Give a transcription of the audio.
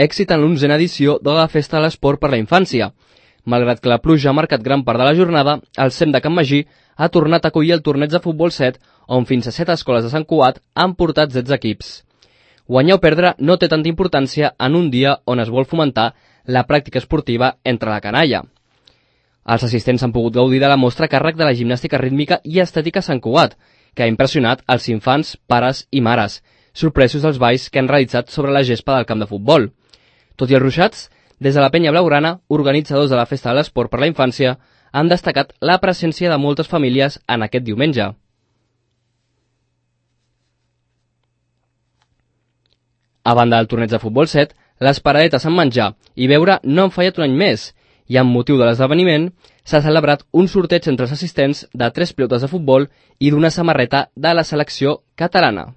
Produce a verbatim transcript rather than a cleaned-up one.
èxit en l'onzena edició de la Festa de l'Esport per la Infància. Malgrat que la pluja ha marcat gran part de la jornada, el C E M de Can Magí ha tornat a acollir el torneig de futbol set, on fins a set escoles de Sant Cugat han portat setze equips. Guanyar o perdre no té tanta importància en un dia on es vol fomentar la pràctica esportiva entre la canalla. Els assistents han pogut gaudir de la mostra a càrrec de la gimnàstica rítmica i estètica Sant Cugat, que ha impressionat els infants, pares i mares, sorpresos dels balls que han realitzat sobre la gespa del camp de futbol. Tot i els ruixats, des de la Penya Blaugrana, organitzadors de la Festa de l'Esport per la Infància, han destacat la presència de moltes famílies en aquest diumenge. A banda del torneig de futbol set, les paradetes amb menjar i beure no han fallat un any més, i amb motiu de l'esdeveniment s'ha celebrat un sorteig entre els assistents de tres pilotes de futbol i d'una samarreta de la selecció catalana.